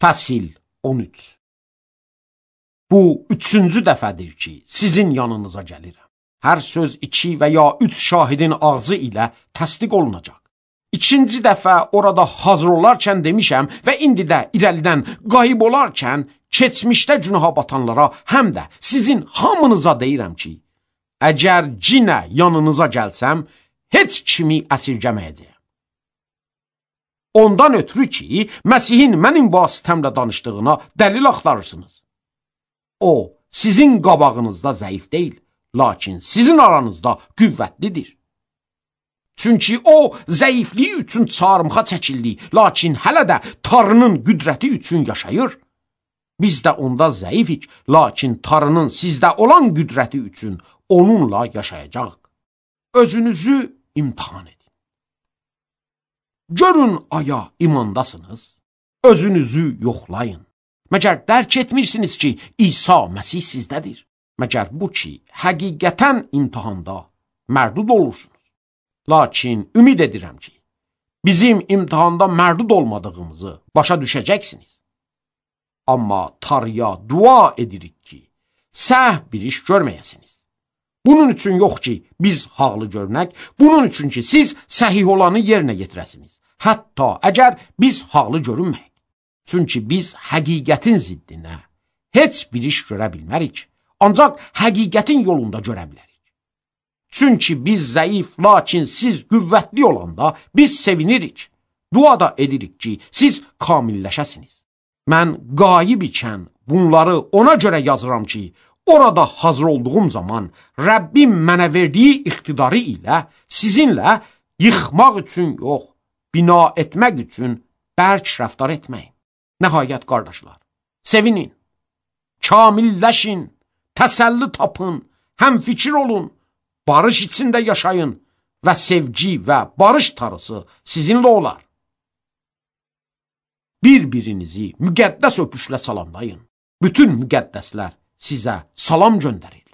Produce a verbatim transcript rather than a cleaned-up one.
Fəsil on üç. Bu üçüncü dəfədir ki, sizin yanınıza gəlirəm. Hər söz iki və ya üç şahidin ağzı ilə təsdiq olunacaq. İkinci dəfə orada hazır olarkən demişəm və indi də irəlidən qayıb olarkən keçmişdə günaha batanlara həm də sizin hamınıza deyirəm ki, əgər cinə yanınıza gəlsəm, heç kimi əsirgəməyəcəyəm. Ondan ötürü ki, Məsihin mənim vasitəmlə danışdığına dəlil axtarırsınız. O, sizin qabağınızda zəif deyil, lakin sizin aranızda qüvvətlidir. Çünki o, zəifliyi üçün çarmıxa çəkildi, lakin hələ də Tanrının qüdrəti üçün yaşayır. Biz də onda zəifik, lakin Tanrının sizdə olan qüdrəti üçün onunla yaşayacaq. Özünüzü imtihan edin. Görün aya imandasınız, özünüzü yoxlayın. Məgər dərk etmirsiniz ki, İsa Məsih sizdədir. Məgər bu ki, həqiqətən imtihanda mərdud olursunuz. Lakin ümid edirəm ki, bizim imtihanda mərdud olmadığımızı başa düşəcəksiniz. Amma Tanrıya dua edirik ki, səhv bir iş görməyəsiniz. Bunun üçün yox ki, biz haqlı görünək, bunun üçün ki, siz səhih olanı yerinə yetirəsiniz. Hətta əgər biz haqlı görünməyik. Çünki biz həqiqətin ziddinə heç bir iş görə bilmərik, ancaq həqiqətin yolunda görə bilərik. Çünki biz zəif, lakin siz qüvvətli olanda biz sevinirik. Dua da edirik ki, siz kamilləşəsiniz. Mən qayib ikən bunları ona görə yazıram ki, orada hazır olduğum zaman Rəbbim mənə verdiyi iqtidarı ilə sizinlə yıxmaq üçün yox, bina etmək üçün bərk rəftar etməyin. Nəhayət qardaşlar, sevinin, kamilləşin, təsəlli tapın, həmfikir olun, barış içində yaşayın və sevgi və barış tarısı sizinlə olar. Bir-birinizi müqəddəs öpüşlə salamlayın. Bütün müqəddəslər sizə salam göndərir.